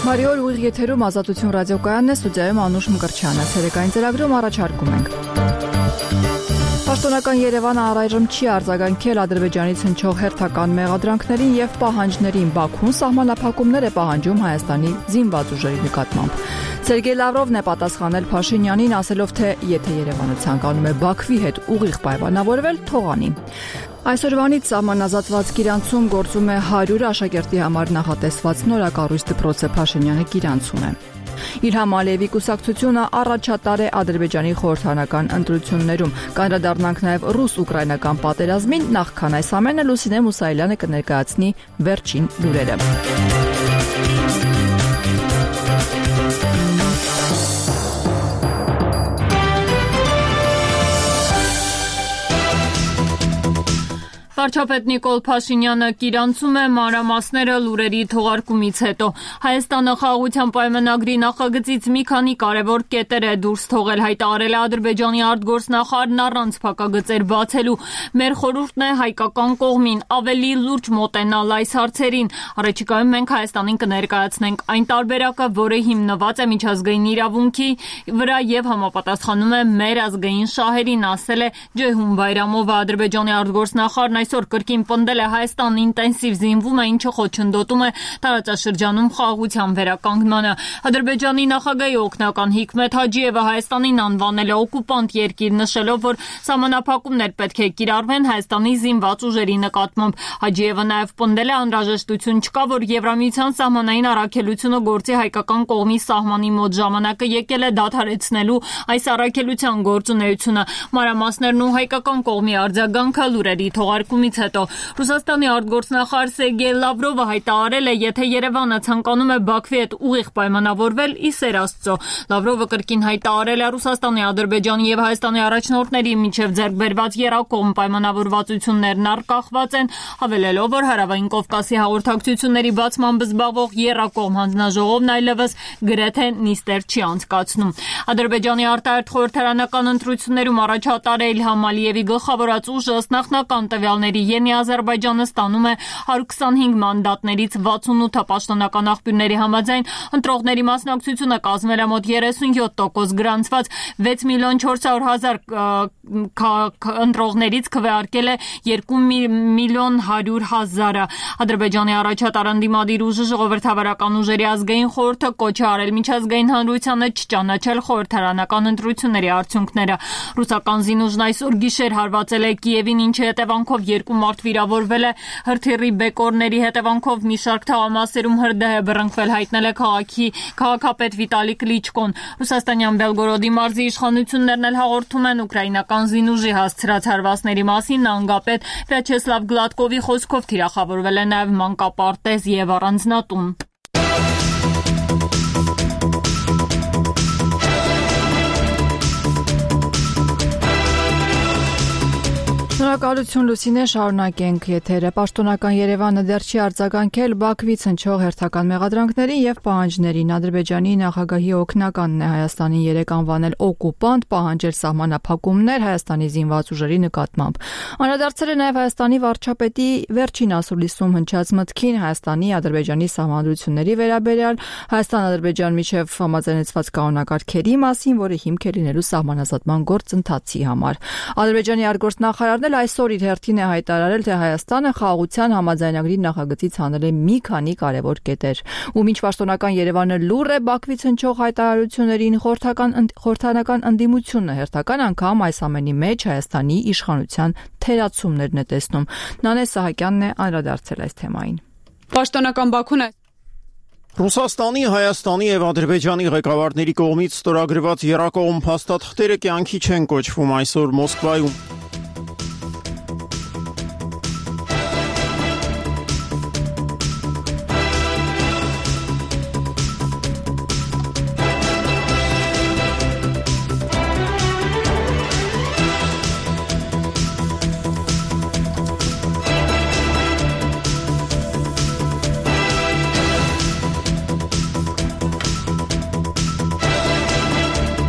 Մարիոլ ուղիղ եթերում Ազատություն ռադիոկայանն է, ստուդիայում Անուշ Մկրտչյանը, ցերեկային ծրագրում առաջարկում ենք։ Պաշտոնական Երևանը առայժմ չի արձագանքել Ադրբեջանից հնչող հերթական մեղադրանքներին եւ պահանջներին։ Բաքուն սահմանափակումներ է պահանջում Հայաստանի զինված ուժերի նկատմամբ։ Սերգեյ Լավրովն է պատասխանել Փաշինյանին, ասելով, թե եթե Երևանը ցանկանում է Բաքվի հետ ուղիղ պայմանավորվել, թող անի։ Այսօրվանից սահմանազատված Գիրանցում գործում է 100 աշակերտի համար նախատեսված նորակառույց դպրոցը Փաշինյանը Գիրանցում է։ Իլհամ Ալիևի կուսակցությունը առաջատար է Ադրբեջանի խորհրդարանական ընտրություններում։ Կանդրադառնանք նաև ռուս-ուկրաինական պատերազմին, նախքան այս ամենը Լուսինե Մուսայելյանը կներկայացնի վերջին լուրերը։ Վարչապետ Նիկոլ Փաշինյանը Գիրանցում է, մանրամասները լուրերի թողարկումից հետո։ Հայաստանը խաղաղության պայմանագրի նախագծից մի քանի կարևոր կետեր է դուրս թողել, հայտարարել է Ադրբեջանի արտգործնախարարն առանց փակագծեր բացելու։ Մեր խորհուրդն է հայկական կողմին ավելի լուրջ մոտենալ այս հարցերին։ Առաջիկայում մենք Հայաստանին կներկայացնենք այն տարբերակը, որը հիմնված է միջազգային իրավունքի վրա եւ համապատասխանում է մեր ազգային շահերին, ասել է Ջեհուն Բայրամովը։ Ադրբեջանի արտգործնախարարն այսօր կրկին պնդել է Հայաստանն ինտենսիվ զինվում է, ինչը խոչընդոտում է տարածաշրջանում խաղաղության վերականգնմանը։ Ադրբեջանի նախագահի օգնական Հիկմեթ Հաջիևը Հայաստանին անվանել է օկուպանտ երկիր, նշելով, որ սահմանափակումներ պետք է կիրառվեն Հայաստանի զինված ուժերի նկատմամբ։ Հաջիևը նաև պնդել է անհրաժեշտություն չկա, որ Եվրամիության սահմանային առաքելությունը գործի հայկական կողմի սահմանի մոտ, ժամանակը եկել է դադարեցնելու այս առաքելության գործունեությունը։ Մանրամասներն ու հայկական կողմի արձագանքը լուրերի թողարկումից հետո Ռուսաստանի արտգործնախարար Սերգեյ Լավրովը հայտարարել է, եթե Երևանը ցանկանում է Բաքվի հետ ուղիղ պայմանավորվել, ի սեր Աստծո։ Լավրովը կրկին հայտարարել է Ռուսաստանի, Ադրբեջանի եւ Հայաստանի առաջնորդների միջև ձեռք բերված եռակողմ պայմանավորվածություններն առկախված են, հավելելով, որ Հարավային Կովկասի հաղորդակցությունների բացմամբ զբաղվող եռակողմ հանձնաժողովն այլևս գրեթե նիստեր չի անցկացնում։ Ադրբեջանի արտահերթ խորհրդարանական ընտրություններում առաջատար Իլհամ Ալիևի գլխավորած ուժը ըստ նախնական տվյալների Յենի Ադրբեջանը ստանում է 125 մանդատներից 68-ը պաշտոնական աղբյուրների համաձայն ընտրողների մասնակցությունը կազմել է մոտ 37%, գրանցված 6,400,000 ընտրողներից քվեարկել է 2,100,000-ը։ Ադրբեջանի առաջատար ընդդիմադիր ուժը ժողովրդավարական ուժերի ազգային խորհուրդը կոչ է արել միջազգային հանրությանը չճանաչել խորհրդարանական ընտրությունների արդյունքները։ Ռուսական զինուժն այսօր գիշեր հարվածել է Կիևին, ինչի հետևանքով 2 մարդ վիրավորվել է։ Հրթիռի բեկորների հետևանքով մի շարք թաղամասերում հրդեհ է բռնկվել, հայտնել է քաղաքապետ Վիտալի Կլիչկոն։ Ռուսաստանյան Բելգորոդի մարզի իշխանություններն էլ հաղորդում են ուկրաինական զինուժի հասցրած հարվածների մասին։ Նահանգապետ Վյաչեսլավ Գլադկովի խոսքով թիրախավորվել է նաև մանկապարտեզ եւ առանձնատուն։ Շնորհակալություն Լուսինե, շարունակենք եթերը։ Պաշտոնական Երևանը դեռ չի արձագանքել Բաքվից հնչող հերթական մեղադրանքներին եւ պահանջներին։ Ադրբեջանի նախագահի օգնականն է Հայաստանին 3 անվանել օկուպանտ, պահանջել սահմանափակումներ Հայաստանի զինված ուժերի նկատմամբ։ Անդրադարձել է նաեւ Հայաստանի վարչապետի վերջին ասուլիսում հնչած մտքին Հայաստանի Ադրբեջանի սահմանադրությունների վերաբերյալ Հայաստան-Ադրբեջան միջև համաձայնեցված կանոնակարգերի մասին, որը հիմք է լինելու սահմանազատման գործընթացի համար։ Ադրբեջանի արտգործնախարարն այսօր իր հերթին է հայտարարել, թե Հայաստանը խաղաղության համաձայնագրի նախագծից հանել է մի քանի կարևոր կետեր։ Ու մինչ պաշտոնական Երևանը լուռ է Բաքվից հնչող հայտարարություններին, խորհրդարանական ընդդիմությունը հերթական անգամ այս ամենի մեջ Հայաստանի իշխանության թերացումներն է տեսնում։ Նանե Սահակյանն է անդրադարձել այս թեմային։ Պաշտոնական Բաքուն Ռուսաստանի, Հայաստանի եւ Ադրբեջանի ղեկավարների կողմից ստորագրված եռակողմ փաստաթղթերը կյանքի չեն կոչվում այսօր Մոսկվայում։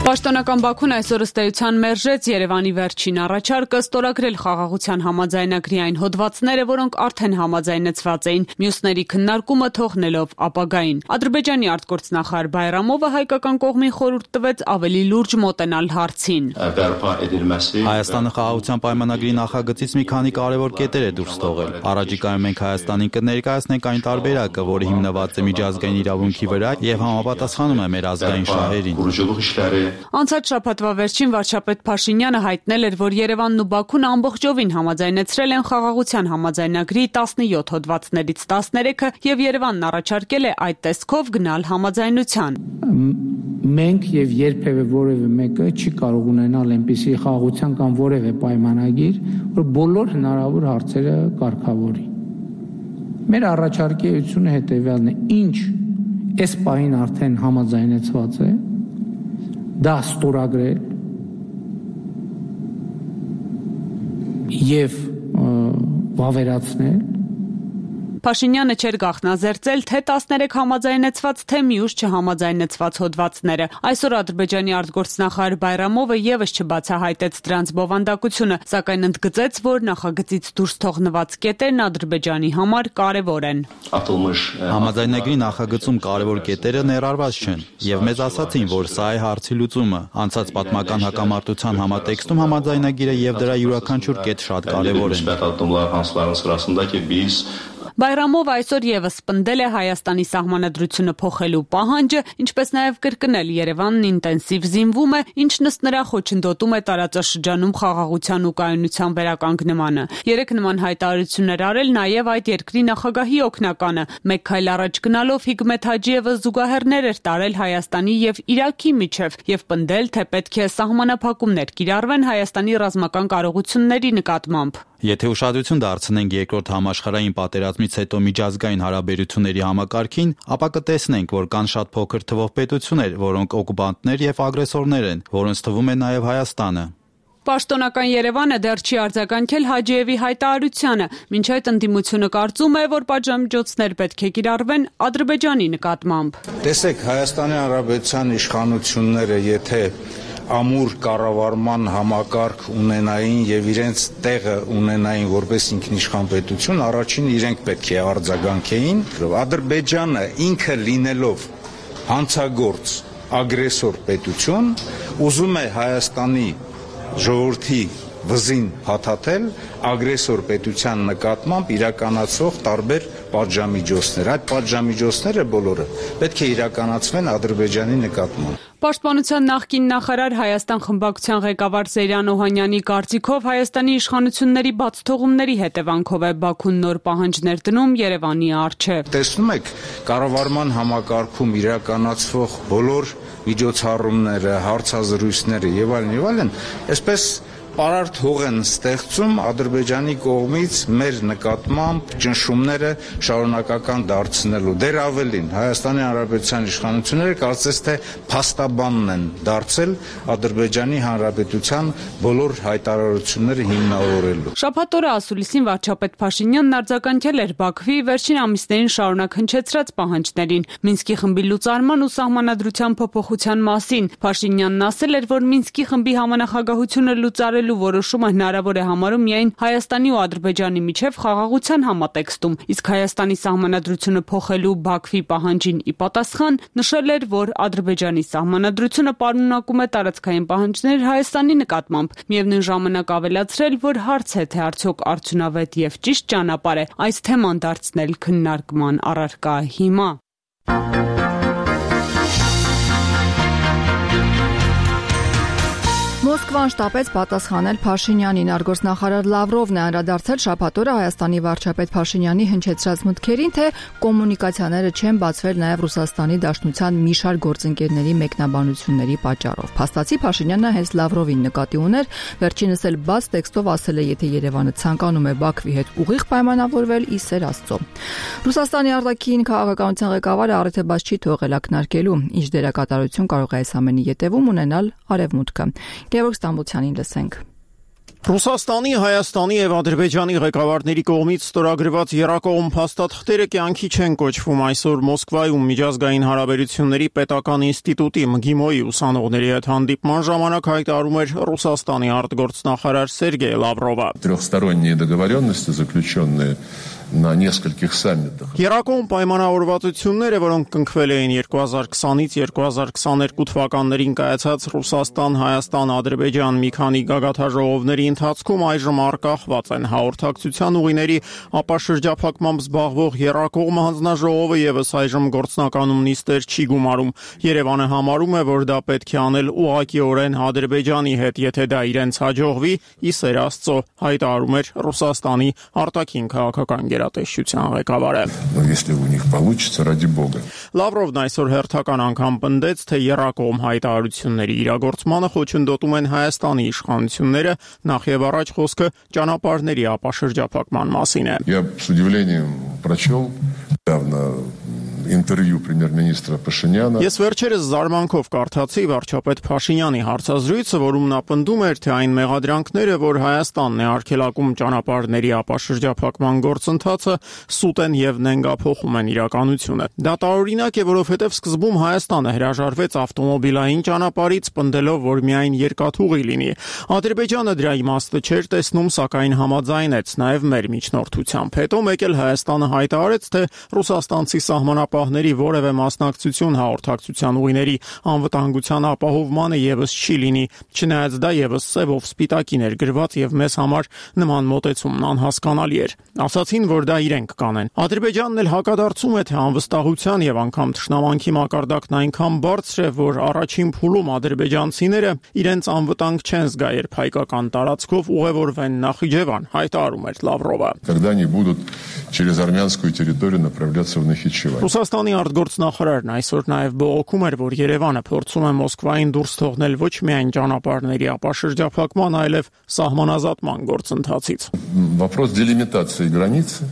Պաշտոնական Բաքուն այսօր ըստ էության մերժեց Երևանի վերջին առաջարկը ստորագրել խաղաղության համաձայնագրի այն հոդվածները, որոնք արդեն համաձայնեցված էին, մյուսների քննարկումը թողնելով ապագային։ Ադրբեջանի արտգործնախարար Բայրամովը հայկական կողմին խորհուրդ տվեց ավելի լուրջ մոտենալ հարցին։ Հայաստանը խաղաղության պայմանագրի նախագծից մի քանի կարևոր կետեր է դուրս թողել։ Առաջիկայում մենք Հայաստանին կներկայացնենք այն տարբերակը, որը հիմնված է միջազգային իրավունքի վրա եւ համապատասխանում է մեր ազգային շահերին։ Անցած շաբաթվա վերջին վարչապետ Փաշինյանը հայտնել էր, որ Երևանն ու Բաքուն ամբողջովին համաձայնեցրել են խաղաղության համաձայնագրի 17 հոդվածներից 13-ը եւ Երևանն առաջարկել է այդ տեսքով գնալ համաձայնության։ Մենք եւ երբեւե որևէ մեկը չի կարող ունենալ այնպիսի խաղաղության կամ որևէ պայմանագիր, որ բոլոր հնարավոր հարցերը կարգավորի։ Մեր առաջարկի էությունը հետեւյալն է. ինչ այս պահին արդեն համաձայնեցված է, դա ստորագրել եւ վավերացնել։ Փաշինյանը չէր գաղտնազերծել թե 13 համաձայնեցված, թե մյուս չհամաձայնեցված հոդվածները։ Այսօր Ադրբեջանի արտգործնախարար Բայրամովը եւս չբացահայտեց դրանց բովանդակությունը, սակայն ընդգծեց, որ նախագծից դուրս թողնված կետերն Ադրբեջանի համար կարևոր են։ Համաձայնագրի նախագծում կարևոր կետերը ներառված չեն, եւ մեզ ասացին, որ սա է հարցի լուծումը։ Անցած պատմական հակամարտության համատեքստում համաձայնագիրը եւ դրա յուրաքանչյուր կետ շատ կարևոր են։ Բայրամովը այսօր եւս պնդել է Հայաստանի սահմանադրությունը փոխելու պահանջը, ինչպես նաեւ կրկնել Երևանն ինտենսիվ զինվում է, ինչն ըստ նրա խոչընդոտում է տարածաշրջանում խաղաղության ու կայունության վերականգնմանը։ Երեք նման հայտարարություններ արել նաեւ այդ երկրի նախագահի օգնականը։ Մեկ քայլ առաջ գնալով Հիկմետ Հաջիևը զուգահեռներ էր տարել Հայաստանի եւ Իրաքի միջև եւ պնդել, թե պետք է սահմանափակումներ կիրառվեն Հայաստանի ռազմական կարողությունների նկատմամբ։ Եթե ուշադրություն դարձնենք երկրորդ համաշխարհային պատերազմից հետո միջազգային հարաբերությունների համակարգին, ապա կտեսնենք, որ կան շատ փոքր թվով պետություններ, որոնք օկուպանտներ եւ ագրեսորներ են, որոնց թվում է նաեւ Հայաստանը։ Պաշտոնական Երևանը դեռ չի արձագանքել Հաջիևի հայտարարությանը, մինչ այդ ընդդիմությունը կարծում է, որ պատժամիջոցներ պետք է կիրառվեն Ադրբեջանի նկատմամբ։ Տեսեք, Հայաստանի Հանրապետության իշխանությունները, եթե ամուր կառավարման համակարգ ունենային եւ իրենց տեղը ունենային որպես ինքնիշխան պետություն, առաջին իրենք պետք է արձագանքեին։ Ադրբեջանը ինքը լինելով հանցագործ ագրեսոր պետություն, ուզում է Հայաստանի ժողովրդի վզին հաթաթել ագրեսոր պետության նկատմամբ իրականացող տարբեր պատժամիջոցներ։ Այդ պատժամիջոցները բոլորը պետք է իրականացվեն Ադրբեջանի նկատմամբ։ Պաշտպանության նախկին նախարար Հայաստան խմբակցության ղեկավար Զեյրան Օհանյանի կարծիքով Հայաստանի իշխանությունների բացթողումների հետևանքով է Բաքուն նոր պահանջներ դնում Երևանի առջև։ Տեսնում եք, կառավարման համակարգում իրականացվող բոլոր միջոցառումները, հարցազրույցները եւ այլն, այսպես պարարտ հող են ստեղծում Ադրբեջանի կողմից մեր նկատմամբ ճնշումները շարունակական դարձնելու։ Դեռ ավելին, Հայաստանի Հանրապետության իշխանությունները կարծես թե փաստաբանն են դարձել Ադրբեջանի Հանրապետության բոլոր հայտարարությունները հիմնավորելու։ Շաբաթ օրը ասուլիսին վարչապետ Փաշինյանն արձագանքել էր Բաքվի վերջին ամիսներին շարունակ հնչեցրած պահանջներին Մինսկի խմբի լուծարման ու սահմանադրության փոփոխության մասին։ Փաշինյանն ասել էր, որ Մինսկի խմբի համանախագահությունը լուծարել որոշումը հնարավոր է համարում միայն Հայաստանի ու Ադրբեջանի միջև խաղաղության համատեքստում, իսկ Հայաստանի սահմանադրությունը փոխելու Բաքվի պահանջին ի պատասխան նշել էր, որ Ադրբեջանի սահմանադրությունը պարունակում է տարածքային պահանջներ Հայաստանի նկատմամբ, միևնույն ժամանակ ավելացրել, որ հարց է, թե արդյոք արդյունավետ եւ ճիշտ ճանապարհ է այս թեման դարձնել քննարկման առարկա հիմա։ Մոսկվան շտապեց պատասխանել Փաշինյանին։ Արտգործնախարար Լավրովն է անդրադարձել շաբաթ օրը Հայաստանի վարչապետ Փաշինյանի հնչեցրած մտքերին, թե կոմունիկացիաները չեն բացվել նաև Ռուսաստանի Դաշնության մի շարք գործընկերների մեկնաբանությունների պատճառով։ Փաստացի Փաշինյանը հենց Լավրովին նկատի ուներ, վերջինս էլ բաց տեքստով ասել է, եթե Երևանը ցանկանում է Բաքվի հետ ուղիղ պայմանավորվել, ի սեր Աստծո։ Ռուսաստանի արտաքին քաղաքականության ղեկավարը առիթը բաց չի թողել ակնարկելու, ինչ դերակատարություն կարող է այս ամենի ետևում ունենալ Արևմուտքը։ Գևորգ Ստամբոլյանին լսենք։ Ռուսաստանի, Հայաստանի եւ Ադրբեջանի ղեկավարների կողմից ստորագրված երկկողմ փաստաթղթերը կյանքի չեն կոչվում այսօր Մոսկվայում միջազգային հարաբերությունների պետական ինստիտուտի ՄԳԻՄՈ-ի ուսանողների հետ հանդիպման ժամանակ հայտարարում էր Ռուսաստանի արտգործնախարար Սերգեյ Լավրովը. Трехсторонние договоренности, заключенные на нескольких саммитах. Երկկողմ պայմանավորվածությունները, որոնք կնքվել էին 2020-ից 2022 թվականներին կայացած Ռուսաստան, Հայաստան, Ադրբեջան մի քանի գագաթաժողովների ընթացքում այժմ առկախված են հաղորդակցության ուղիների ապաշրջափակմամբ զբաղվող երկկողմ հանձնաժողովը եւս այժմ գործնականում նիստեր չի գումարում։ Երևանը համարում է, որ դա պետք է անել ուղղակիորեն Ադրբեջանի հետ, եթե դա իրենց հաջողվի, ի սեր Աստծո, հայտարարում էր Ռուսաստանի արտաքին քաղաքական գերատեսչության ղեկավարը։ Если у них получится, ради бога. Լավրովն այսօր հերթական անգամ պնդեց, թե երկկողմ հայտարարությունների իրագործմանը խոչընդոտում են Հայաստանի իշխանությունները, նախ եւ առաջ խոսքը ճանապարհների ապաշրջափակման մասին է։ Я с удивлением прочел недавно интервью премьер-министра Пашиняна. Ես վերջերս զարմանքով կարդացի վարչապետ Փաշինյանի հարցազրույցը, որում նա պնդում էր, թե այն մեղադրանքները, որ Հայաստանն է արգելակում ճանապարհների ապաշրջափակման գործընթացը, սուտ են եւ նենգափոխում են իրականությունը։ Դա տարօրինակ է, որովհետեւ սկզբում Հայաստանը հրաժարվեց ավտոմոբիլային ճանապարհից, պնդելով, որ միայն երկաթուղի լինի։ Ադրբեջանը դրա իմաստը չէր տեսնում, սակայն համաձայնեց նաեւ մեր միջնորդությամբ։ Հետո մեկ էլ Հայաստանը հայտարարեց, թե ռուսաստանցի սահմանապահների որևէ մասնակցություն հաղորդակցության ուղիների անվտանգության ապահովմանը եւս չի լինի, չնայած դա եւս սևով սպիտակին էր գրված եւ մեզ համար նման մոտեցումն անհասկանալի էր։ Ասացին, որ դա իրենք կանեն։ Ադրբեջանն էլ հակադարձում է, թե անվստահության եւ անգամ թշնամանքի մակարդակն այնքան բարձր է, որ առաջին փուլում ադրբեջանցիները իրենց անվտանգ չեն զգա, երբ հայկական տարածքով ուղևորվեն Նախիջևան, հայտարարում էր Լավրովը։ Когда они будут через армянскую территорию направляться в Нахичевань. Ռուսաստանի արտգործնախարարն այսօր նաև բողոքում էր, որ Երևանը փորձում է Մոսկվային դուրս թողնել ոչ միայն ճանապարհների ապաշրջափակման, այլև սահմանազատման գործընթացից։ Вопрос делимитации границы,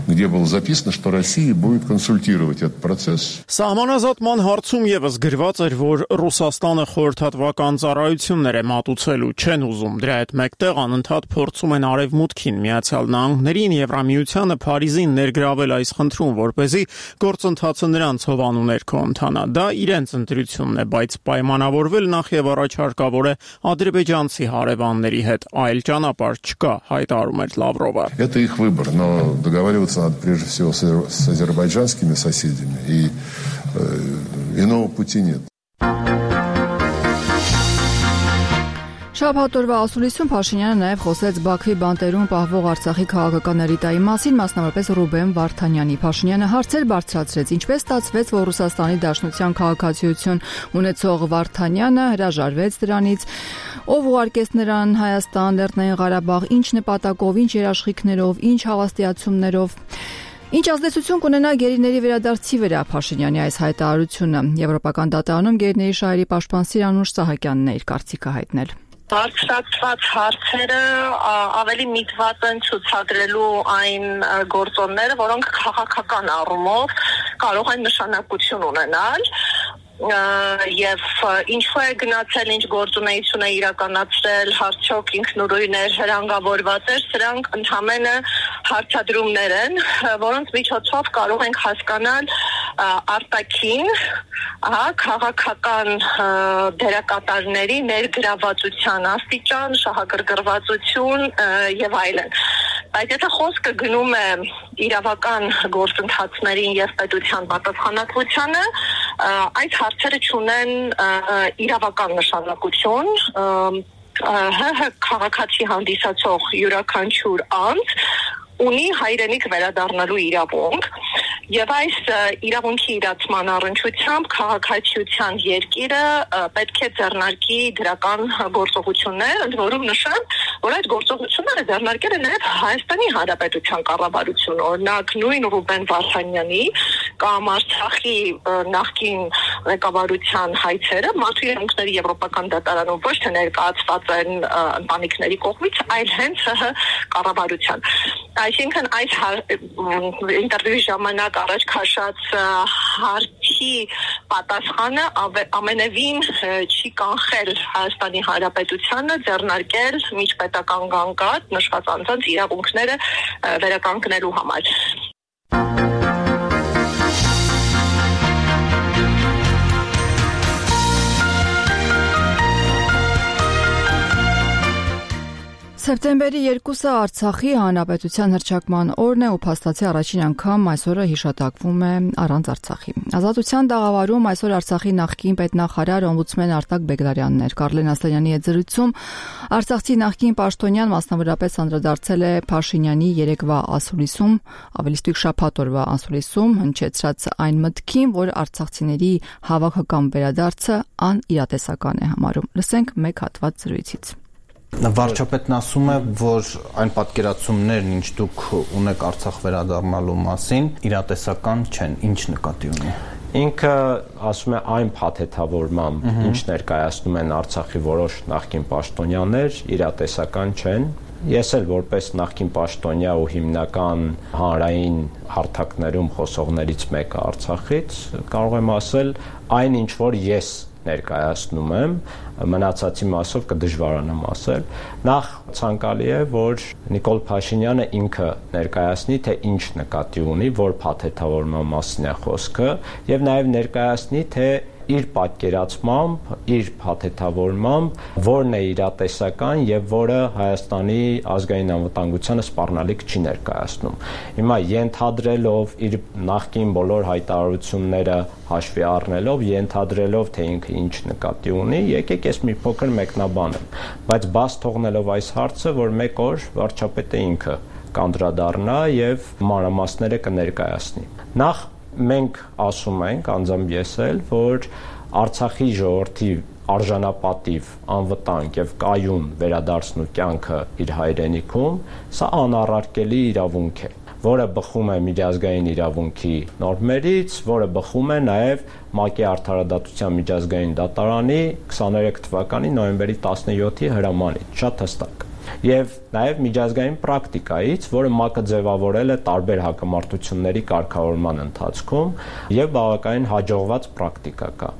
где было записано, что Россия будет консультировать этот процесс. Սահմանազատման հարցում եւս գրված էր, որ Ռուսաստանը խորհրդատվական ծառայություններ է մատուցելու, չեն ուզում դրա հետ մեկտեղ անընդհատ փորձում են Արևմուտքին, Միացյալ Նահանգներին, Եվրամիությանը, Փարիզին ներգրավել այս խնդրում, որպեսզի գործընթացը նրանց հովանու ներքո ընթանա։ Դա իրենց ընտրությունն է, բայց պայմանավորվել նախ եւ առաջ հարկավոր է ադրբեջանցի հարևանների հետ, այլ ճանապարհ չկա, հայտարարում էր Լավրովը։ Это их выбор, но договариваться надо прежде всего с азербайджанскими соседями, и иного пути нет. Շաբաթ օրվա ասուլիսում Փաշինյանը նաև խոսեց Բաքվի բանտերում պահվող Արցախի քաղաքական էլիտայի մասին, մասնավորապես Ռուբեն Վարդանյանի։ Փաշինյանը հարցեր բարձրացրեց, ինչպես ստացվեց, որ Ռուսաստանի Դաշնության քաղաքացիություն ունեցող Վարդանյանը հրաժարվեց դրանից, ով ուղարկեց նրան Հայաստան, Լեռնային Ղարաբաղ, ինչ նպատակով, ինչ երաշխիքներով, ինչ հավաստիացումներով։ Ինչ ազդեցություն կունենա գերիների վերադարձի վրա Փաշինյանի այս հայտարարությունը։ Եվրոպական դատարանում գերիների շահերի պաշտպան Սիրանուշ Սահակյանն է իր կարծիքը հայտնել։ Բարձրացված հարցերը ավելի միտված են ցուցադրելու այն գործոնները, որոնք քաղաքական առումով կարող են նշանակություն ունենալ եւ ինչու է գնացել, ինչ գործունեություն է իրականացրել, արդյոք ինքնուրույն էր, հրանգավորված էր, սրանք ընդհանրապես հարցադրումներ են, որոնց միջոցով կարող ենք հասկանալ արտաքին քաղաքական դերակատարների ներգրավվածության աստիճան, շահագրգռվածություն եւ այլն։ Բայց եթե խոսքը գնում է իրավական գործընթացներին եւ պետության պատասխանատվությանը, այդ հարցերը չունեն իրավական նշանակություն, քաղաքացի հանդիսացող յուրաքանչյուր անձ ունի հայրենիք վերադառնալու իրավունք եւ այս իրավունքի իրացման առնչությամբ քաղաքացիության երկիրը պետք է ձեռնարկի դրական գործողություններ, ընդ որում նշեմ, որ այդ գործողությունները ձեռնարկել է նաեւ Հայաստանի Հանրապետության կառավարությունը, օրինակ նույն Ռուբեն Վարդանյանի կամ Արցախի նախկին ղեկավարության հայցերը մարդու իրավունքների եվրոպական դատարանում ոչ թե ներկայացված են ընտանիքների կողմից, այլ հենց կառավարության։ Այսինքն այս ինտերվյուի ժամանակ առաջ քաշած հարցի պատասխանը ամենևին չի կանխել Հայաստանի Հանրապետությանը ձեռնարկել միջպետական գանգատ նշված անձանց իրավունքները վերականգնելու համար։ Սեպտեմբերի 2-ը Արցախի հանրապետության հռչակման օրն է ու փաստացի առաջին անգամ այսօրը հիշատակվում է առանց Արցախի։ Ազատության տաղավարում այսօր Արցախի նախկին պետնախարար օմբուդսմեն Արտակ Բեգլարյանն էր։ Կարլեն Ասլանյանի հետ զրույցում Արցախցի նախկին պաշտոնյան մասնավորապես անդրադարձել է Փաշինյանի երեկվա ասուլիսում, ավելի ստույգ շաբաթ օրվա ասուլիսում հնչեցրած այն մտքին, որ արցախցիների հավաքական վերադարձը անիրատեսական է համարում։ Լսենք մեկ հատված զրույցից։ Վարչապետն ասում է, որ այն պատկերացումներն, ինչ դուք ունեք Արցախ վերադառնալու մասին, իրատեսական չեն, ինչ նկատի ունի։ Ինքը ասում է այն փաթեթավորմամբ, ինչ ներկայացնում են Արցախի որոշ նախկին պաշտոնյաներ, իրատեսական չեն։ Ես էլ որպես նախկին պաշտոնյա ու հիմնական հանրային հարթակներում խոսողներից մեկը Արցախից կարող եմ ասել այն, ինչ որ ես ներկայացնում եմ, մնացածի մասով կդժվարանամ ասել։ Նախ ցանկալի է, որ Նիկոլ Փաշինյանը ինքը ներկայացնի, թե ինչ նկատի ունի, որ փաթեթավորման մասին է խոսքը, եւ նաեւ ներկայացնի, թե իր պատկերացմամբ, իր փաթեթավորմամբ որն է իրատեսական եւ որը Հայաստանի ազգային անվտանգությանը սպառնալիք չի ներկայացնում։ Հիմա ենթադրելով իր նախկին բոլոր հայտարարությունները հաշվի առնելով, ենթադրելով թե ինքը ինչ նկատի ունի, եկեք ես մի փոքր մեկնաբանեմ, բայց բաց թողնելով այս հարցը, որ մեկ օր վարչապետը ինքը կանդրադառնա եւ մանրամասները կներկայացնի։ Նախ մենք ասում ենք, անձամբ ես էլ, որ Արցախի ժողովրդի արժանապատիվ, անվտանգ եւ կայուն վերադարձնու կյանքը իր հայրենիքում, սա անառարկելի իրավունք է, որը բխում է միջազգային իրավունքի նորմերից, որը բխում է նաեւ ՄԱԿ-ի Արդարադատության միջազգային դատարանի 23 թվականի նոյեմբերի 17-ի հրամանից, շատ հստակ։ Եվ նաև միջազգային պրակտիկայից, որը ՄԱԿ-ը ձևավորել է տարբեր հակամարտությունների կարգավորման ընթացքում եւ բավականին հաջողված պրակտիկա կա։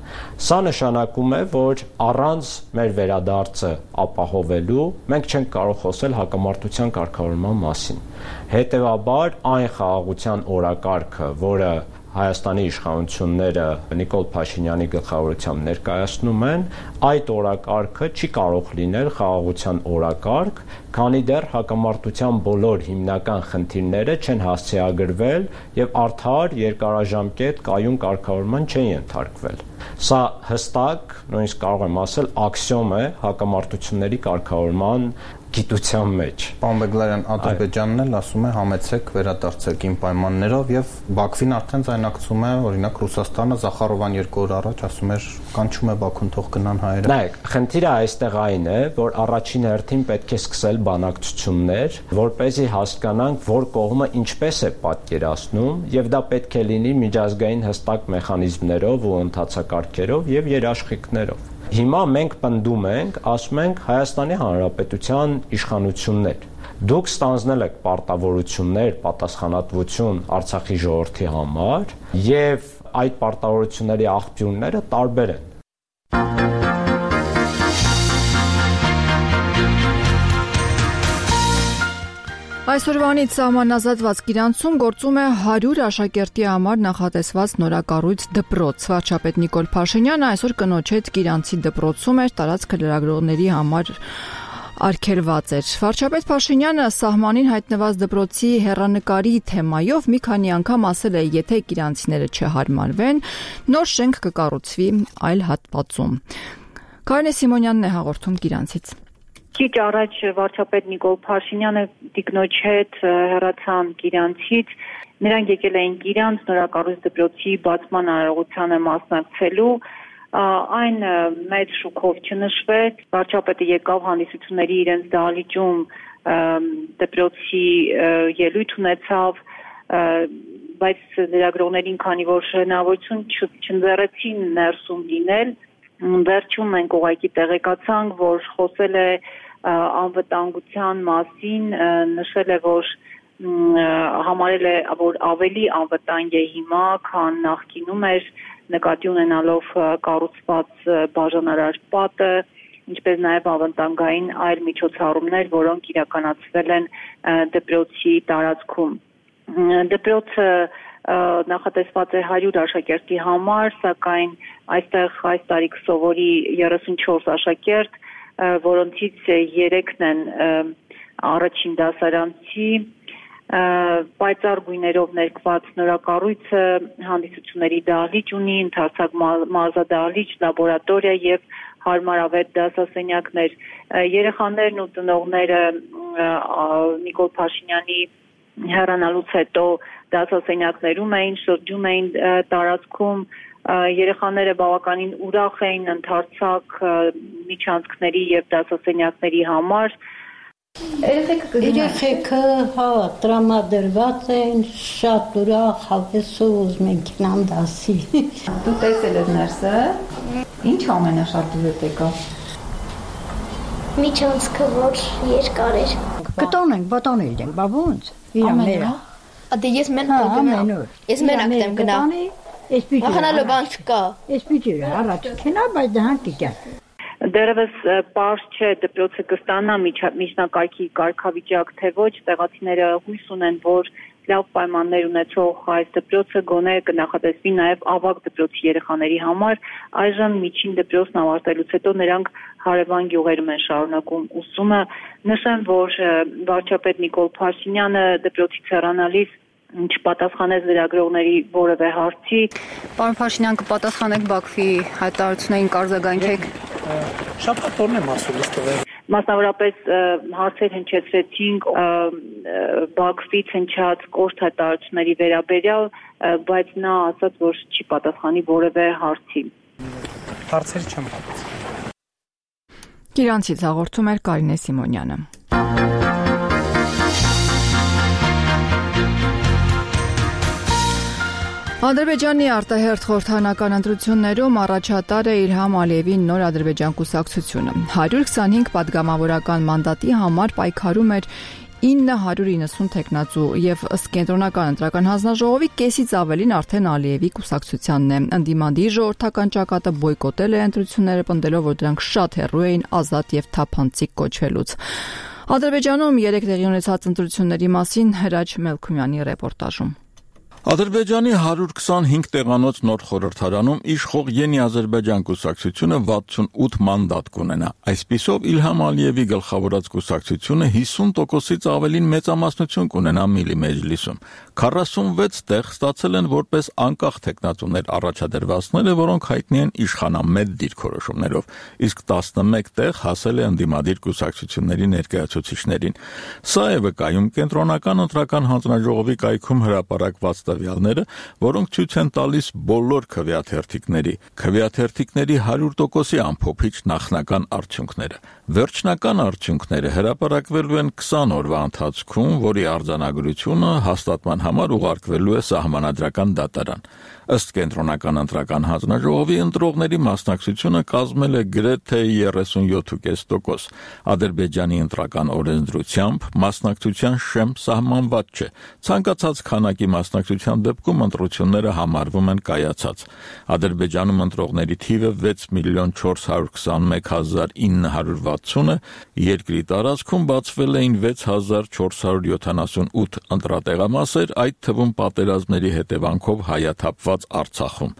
Սա նշանակում է, որ առանց մեր վերադարձը ապահովելու մենք չենք կարող խոսել հակամարտության կարգավորման մասին։ Հետևաբար այն խաղաղության օրակարգը, որը Հայաստանի իշխանությունները Նիկոլ Փաշինյանի գլխավորությամբ ներկայացնում են, այդ օրակարգը չի կարող լինել խաղաղության օրակարգ, քանի դեռ հակամարտության բոլոր հիմնական խնդիրները չեն հասցեագրվել եւ արդար երկարաժամկետ կայուն կարգավորման չեն ենթարկվել։ Սա հստակ, նույնիսկ կարող եմ ասել, աքսիոմ է հակամարտությունների կարգավորման գիտության մեջ։ Պարոն Բեգլարյան, Ադրբեջանն էլ ասում է համեցեք վերադարձեք իմ պայմաններով եւ Բաքվին արդեն ձայնարկվում է, օրինակ Ռուսաստանը Զախարովան 2 օր առաջ ասում էր կանչում է Բաքուն թող գնան հայերը։ Նայեք, խնդիրը այստեղ այն է, որ առաջին հերթին պետք է սկսել բանակցություններ, որպեսզի հասկանանք, որ կողմը ինչպես է պատկերացնում եւ դա պետք է լինի միջազգային հստակ մեխանիզմներով ու ընթացակարգերով եւ երաշխիքներով։ Հիմա մենք պնդում ենք, ասում ենք Հայաստանի Հանրապետության իշխանություններ։ Դուք ստանձնել եք պարտավորություններ, պատասխանատվություն Արցախի ժողովրդի համար եւ այդ պարտավորությունների աղբյուրները տարբեր են։ Այսօրվանից սահմանազատված Գիրանցում գործում է 100 աշակերտի համար նախատեսված նորակառույց դպրոց։ Վարչապետ Նիկոլ Փաշինյանը այսօր կնոջ հետ Գիրանցի դպրոցում էր տարածքը լրագրողների համար արգելված էր։ Վարչապետ Փաշինյանը սահմանին հայտնված դպրոցի հեռանկարի թեմայով մի քանի անգամ ասել է, եթե գիրանցիները չհարմարվեն, նոր շենք կկառուցվի այլ հատվածում։ Կարինե Սիմոնյանն է հաղորդում Գիրանցից։ Քիչ առաջ վարչապետ Նիկոլ Փաշինյանը տիկնոջ հետ հեռացան Գիրանցից։ Նրանք եկել էին Գիրանց նորակառույց դպրոցի բացման արարողությանը մասնակցելու։ Այն մեծ շուկով չնշվեց։ Վարչապետը եկավ հանդիսությունների իրենց դահլիճում դպրոցի ելույթ ունեցավ, բայց լրագրողներին, քանի որ հնարավորություն չընձեռեցին ներսում լինել, վերջում մենք ուղղակի տեղեկացանք, որ խոսել է անվտանգության մասին, նշել է, որ համարել է, որ ավելի անվտանգ է հիմա, քան նախկինում էր, նկատի ունենալով կառուցված բաժանարար պատը, ինչպես նաև ավանդական այլ միջոցառումներ, որոնք իրականացվել են դպրոցի տարածքում։ Դպրոցը նախատեսված է 100 աշակերտի համար, սակայն այստեղ այս տարի կսովորի 34 աշակերտ, որոնցից 3-ն են առաջին դասարանցի, պայծառ գույներով ներկված նորակառույցը հանդիսությունների դահլիճ ունի, ընդարձակ մարզադահլիճ, լաբորատորիա եւ հարմարավետ դասասենյակներ։ Երեխաներն ու ծնողները Նիկոլ Փաշինյանի հեռանալուց հետո դասասենյակներում էին, շրջում էին տարածքում, երեխաները բավականին ուրախ էին ընդարձակ միջանցքների եւ դասասենյակների համար։ Երեխեքը տրամադրված են, շատ ուրախ, հավեսով ուզում են գնան դասի։ Դու տեսել ես ներսը, ինչ ամենաշատ դուր եկավ։ Միջանցքը, որ երկար էր։ Կտոնենք, բատանել ենք, բա ոնց։ Ամենը։ Ադե ես մենակ գնամ։ Ես մենակ եմ գնամ։ Մախանալու բան չկա։ Ես պիտի առաջ քնա, բայց դրանք կգա։ Դերևս պարզ չէ դպրոցը կստանա միջնակարգի կարգավիճակ, թե ոչ, տեղացիները հույս ունեն, որ լավ պայմաններ ունեցող այս դպրոցը գոնե կնախատեսվի նաև ավագ դպրոցի երեխաների համար։ Այժմ միջին դպրոցն ավարտելուց հետո նրանք հարևան գյուղերում են շարունակում ուսումը։ Նշեմ, որ վարչապետ Նիկոլ Փաշինյանը դպրոցից հեռանալիս չպատասխանեց լրագրողների որևէ հարցի։ Պարոն Փաշինյան, կպատասխանեք Բաքվի հայտարարություններին, կարձագանքեք։ Շաբաթ օրն եմ ասում ստվել։ Մասնավորապես հարցեր հնչեցրեցինք Բաքվից հնչած կոշտ հայտարարությունների վերաբերյալ, բայց նա ասաց, որ չի պատասխանի որևէ հարցի։ Հարցեր չեմ պատասխանել։ Իրանցից հաղորդում էր Կարինե Սիմոնյանը։ Ադրբեջանի արտահերթ խորհրդանական ընտրություններում առաջատար է Իլհամ Ալիևի նոր Ադրբեջան կուսակցությունը։ 125 падգամավորական մանդատի համար պայքարում էր 990 տեխնացու եւ ըստ կենտրոնական ընտրական հանձնաժողովի կեսից ավելին արդեն Ալիևի կուսակցությանն է։ Ընդդիմադիր ժողովրդական ճակատը բոյկոտել է ընտրությունները, պնդելով, որ դրանք շատ հեռու էին ազատ եւ թափանցիկ կոչվելուց։ Ադրբեջանում 3 տեղի ունեցած ընտրությունների մասին Հրաչ Մելքումյանի ռեպորտաժում։ Ադրբեջանի 125 տեղանոց նոր խորհրդարանում իշխող Յենի Ադրբեջան կուսակցությունը 68 մանդատ կունենա։ Այսպիսով Իլհամ Ալիևի գլխավորած կուսակցությունը 50%-ից ավելին մեծամասնություն կունենա Միլի մեջլիսում։ 46 տեղ ստացել են որպես անկախ տեխնատուներ առաջադրվածները, որոնք հայտնի են իշխանամետ դիրքորոշումներով, իսկ 11 տեղ հասել է ընդդիմադիր կուսակցությունների ներկայացուցիչներին։ Սա է վկայում կենտրոնական ընտրական հանձնաժողովի կայքում հրապարակված տվյալները, որոնք ցույց են տալիս բոլոր քվեաթերթիկների 100%-ի ամփոփիչ նախնական արդյունքները։ Վերջնական արդյունքները հրապարակվելու են 20 օրվա ընթացքում, որի արձանագրությունը հաստատման համար ուղարկվելու է Սահմանադրական դատարան։ Ըստ կենտրոնական ընտրական հանձնաժողովի ընտրողների մասնակցությունը կազմել է գրեթե 37.5%։ Ադրբեջանի ընտրական օրենսդրությամբ մասնակցության շեմ սահմանված չէ։ Ցանկացած քանակի մասնակցության դեպքում ընտրությունները համարվում են կայացած։ Ադրբեջանում ընտրողների թիվը 6,421,960 է, երկրի տարածքում բացվել էին 6,478 ընտրատեղամասեր, այդ թվում պատերազմների հետևանքով հայաթափված Արցախում։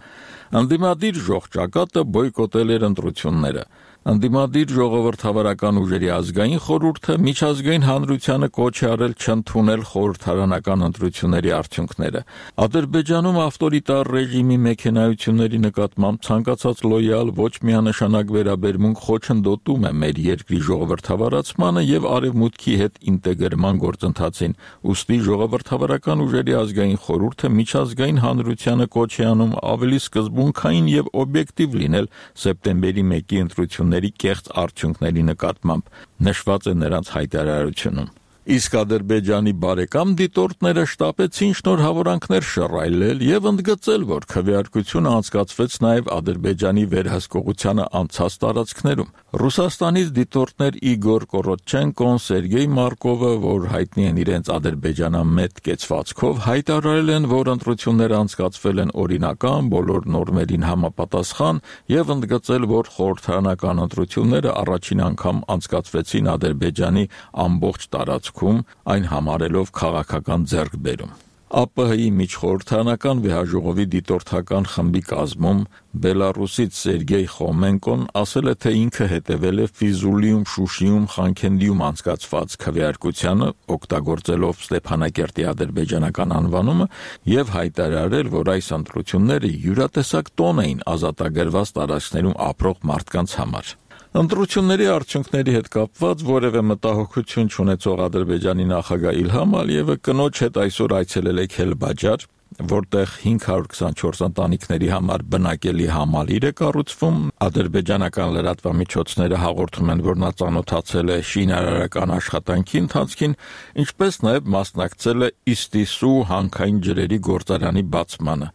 Ընդդիմադիր ժողջակատը բոյկոտել էր ընտրությունները։ Ընդդիմադիր ժողովրդավարական ուժերի ազգային խորհուրդը միջազգային հանրությանը կոչ է արել չընդունել խորհրդարանական ընտրությունների արդյունքները։ Ադրբեջանում ավտորիտար ռեժիմի մեքենայությունների նկատմամբ ցանկացած լոյալ ոչ միանշանակ վերաբերմունք խոչընդոտում է մեր երկրի ժողովրդավարացմանը եւ արևմուտքի հետ ինտեգրման գործընթացին։ Ուստի ժողովրդավարական ուժերի ազգային խորհուրդը միջազգային հանրությանը կոչ է անում ավելի սկզբունքային եւ օբյեկտիվ լինել սեպտեմբերի 1-ի ընտրությունների կեղծ արդյունքների նկատմամբ, նշված է նրանց հայտարարությունում։ Իսկ Ադրբեջանի բարեկամ դիտորդները շտապեցին շնորհավորանքներ շռայլել եւ ընդգծել, որ քվեարկությունը անցկացվեց նաեւ Ադրբեջանի վերահսկողությանը անցած տարածքներում։ Ռուսաստանից դիտորդներ Իգոր Կորոչենկոն, Սերգեյ Մարկովը, որ հայտնի են իրենց ադրբեջանամետ կեցվածքով, հայտարարել են, որ ընտրությունները անցկացվել են օրինական, բոլոր նորմերին համապատասխան եւ ընդգծել, որ խորհրդարանական ընտրությունները առաջին անգամ անցկացվեցին Ադրբեջանի ամբողջ տարածքում, այն համարելով քաղաքական ձեռքբերում։ ԱՊՀ-ի միջխորհրդարանական վեհաժողովի դիտորդական խմբի կազմում Բելարուսից Սերգեյ Խոմենկոն ասել է, թե ինքը հետևել է Ֆիզուլիում, Շուշիում, Խանքենդիում անցկացված քվեարկությանը, օգտագործելով Ստեփանակերտի ադրբեջանական անվանումը, եւ հայտարարել, որ այս ընտրությունները յուրատեսակ տոն էին ազատագրված տարածքներում ապրող մարդկանց համար։ Ընտրությունների արդյունքների հետ կապված որևէ մտահոգություն չունեցող Ադրբեջանի նախագահ Իլհամ Ալիևը կնոջ հետ այսօր այցելել է Քելբաջար, որտեղ 524 ընտանիքների համար բնակելի համալիր է կառուցվում։ Ադրբեջանական լրատվամիջոցները հաղորդում են, որ նա ծանոթացել է շինարարական աշխատանքի ընթացքին, ինչպես նաև մասնակցել է Իստիսու հանքային ջրերի գործարանի բացմանը։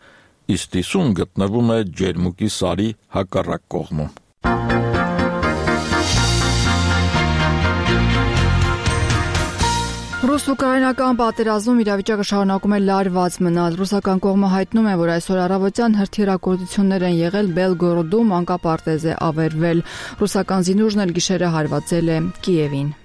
Իստիսուն գտնվում է Ջերմուկի սարի հակառակ կողմում։ Ռուս-ուկրաինական պատերազմում իրավիճակը շարունակում է լարված մնալ։ Ռուսական կողմը հայտնում է, որ այսօր առավոտյան հրթիռակոծություններ են եղել Բելգորոդում, մանկապարտեզ է ավերվել։ Ռուսական զինուժն էլ գիշերը հարվածել է Կիևին։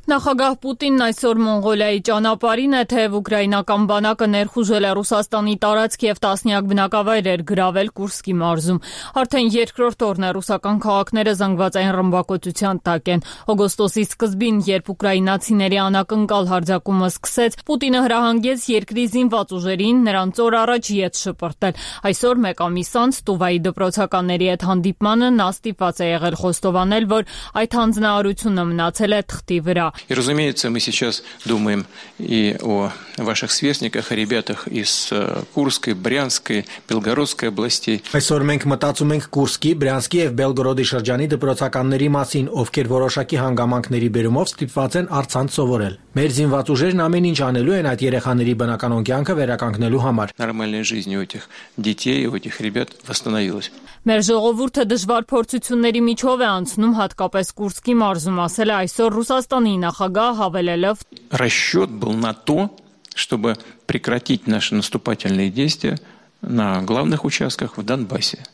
Նախագահ Պուտինն այսօր Մոնղոլիայի ճանապարհին է, թեև ուկրաինական բանակը ներխուժել է Ռուսաստանի տարածք եւ տասնյակ բնակավայրեր գրավել Կուրսկի մարզում։ Արդեն երկրորդ օրն է ռուսական քաղաքները զանգվածային ռմբակոծության տակ են։ Օգոստոսի սկզբին, երբ ուկրաինացիների անակնկալ հարձակումը սկսեց, Պուտինը հրահանգեց երկրի զինված ուժերին նրանց օր առաջ ետ շպրտել։ Այսօր մեկ ամիս անց Տուվայի դպրոցականների հետ հանդիպմանը նա ստիպված է եղել խոստովանել, որ այդ հանձնարարությունը մնացել է թղթի վրա։ И, разумеется, мы сейчас думаем и о ваших сверстниках, о ребятах из Курской, Брянской, Белгородской областей. Այսօր մենք մտածում ենք Կուրսկի, Բրյանսկի եւ Բելգորոդի շրջանի դպրոցականների մասին, ովքեր որոշակի հանգամանքների բերումով ստիպված են առցանց սովորել։ Մեր զինված ուժերն ամեն ինչ անելու են այդ երեխաների բնականոն կյանքը վերականգնելու համար։ Нормальная жизнь у этих детей, у этих ребят восстановилась. Մեր ժողովուրդը դժվար փորձությունների միջով է անցնում, հատկապես Կուրսկի մարզում, ասել է այսօր Ռուսաստանի նախագահ, հավելելով. Расчет был на то, чтобы прекратить наши наступательные действия на главных участках в Донбассе.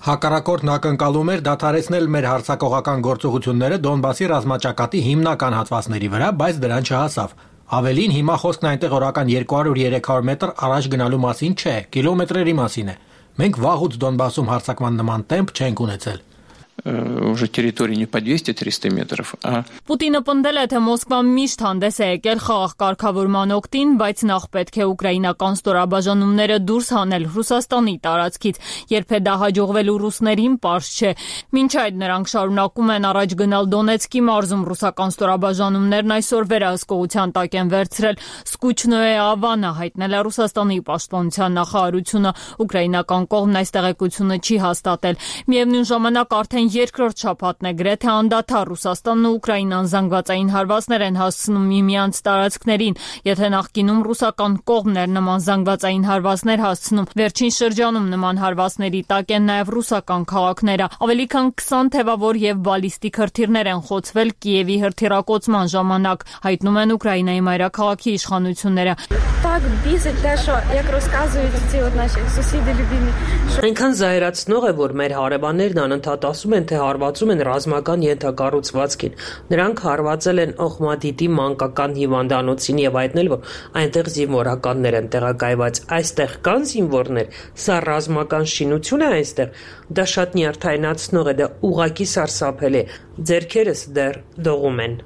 Հակառակորդն ակնկալում էր դադարեցնել մեր հարձակողական գործողությունները Դոնբասի ռազմաճակատի հիմնական հատվածների վրա, բայց դրան չհասավ։ Ավելին, հիմա խոսքն այնտեղ օրական 200-300 մետր առաջ գնալու մասին չէ, կիլոմետրերի մասին է։ Մենք վաղուց Դոնբասում հարձակման նման տեմպ չենք ունեցել։ Уже территории не по 200-300 метров, а... Պուտինը պնդել է, թե Մոսկվան միշտ հանդես է եկել խաղաղ կարգավորման օգտին, բայց նախ պետք է ուկրաինական ստորաբաժանումները դուրս հանել Ռուսաստանի տարածքից, երբ է դա հաջողվելու ռուսներին պարզ չէ։ Մինչ այդ նրանք շարունակում են առաջ գնալ Դոնեցկի մարզում, ռուսական ստորաբաժանումներն այսօր վերահսկողության տակ են վերցրել Սկուչնոե Ավանը, հայտնել է Ռուսաստանի պաշտպանության նախարարությունը։ Ուկրաինական կողմն այս տեղեկությունը չի հաստատել։ Միևնույն ժամանակ արդեն երկրորդ շաբաթն է գրեթե անդադար Ռուսաստանն ու Ուկրաինան զանգվածային հարվածներ են հասցնում միմյանց տարածքներին։ Եթե նախկինում ռուսական կողմն էր նման զանգվածային հարվածներ հասցնում, վերջին շրջանում նման հարվածների տակ են նաև ռուսական քաղաքները։ Ավելի քան 20 թևավոր եւ բալիստիկ հրթիռներ են խոցվել Կիևի հրթիռակոծման ժամանակ, հայտնում են Ուկրաինայի մայրաքաղաքի իշխանությունները։ Այնքան զայրացնող է, որ մեր հարևաններն անընդհատ ասում են, թե հարվածում են ռազմական ենթակառուցվածքին։ Նրանք հարվածել են Օխմադիտի մանկական հիվանդանոցին եւ հայտնել, որ այնտեղ զինվորականներ են տեղակայված։ Այստեղ կան զինվորներ, սա ռազմական շինություն է այստեղ։ Դա շատ նյարդայնացնող է, դա ուղղակի սարսափելի է։ Ձեռքերս դեռ դողում են։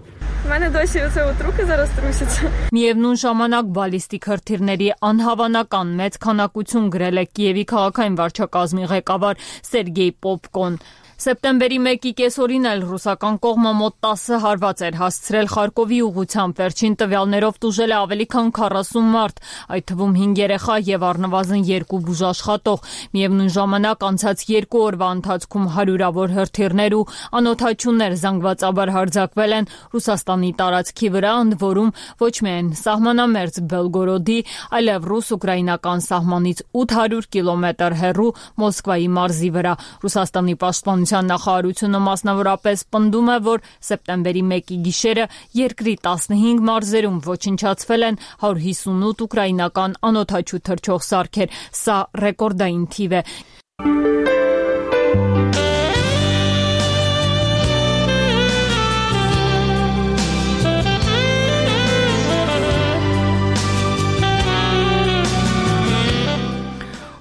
Միևնույն ժամանակ բալիստիկ հրթիռների անհավանական մեծ քանակություն գրել է Կիևի քաղաքային վարչակազմի ղեկավար Սերգեյ Պոպկոն։ Սեպտեմբերի 1-ի կեսօրին էլ ռուսական կողմը մոտ 10 հարված էր հասցրել Խարկովի ուղղությամբ, վերջին տվյալներով տուժել է ավելի քան 40 մարդ, այդ թվում 5 երեխա եւ առնվազն 2 բուժաշխատող։ Միևնույն ժամանակ անցած 2 օրվա ընթացքում հարյուրավոր հրթիռներ ու անօդաչուներ զանգվածաբար հարձակվել են Ռուսաստանի Ռուսաստանի տարածքի վրա, ընդ որում ոչ միայն սահմանամերձ Բելգորոդի, այլև ռուս-ուկրաինական սահմանից 800 կիլոմետր հեռու Մոսկվայի մարզի վրա։ Ռուսաստանի պաշտպանության նախարարությունը մասնավորապես պնդում է, որ սեպտեմբերի 1-ի գիշերը երկրի 15 մարզերում ոչնչացվել են 158 ուկրաինական անօդաչու թռչող սարքեր։ Սա ռեկորդային թիվ է։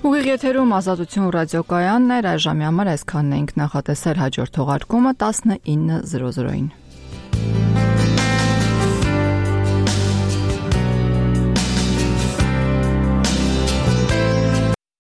Ուղիղ եթերում Ազատություն ռադիոկայանն էր, այժմի համար այսքանն էինք նախատեսել, հաջորդ թողարկումը 19:00-ին։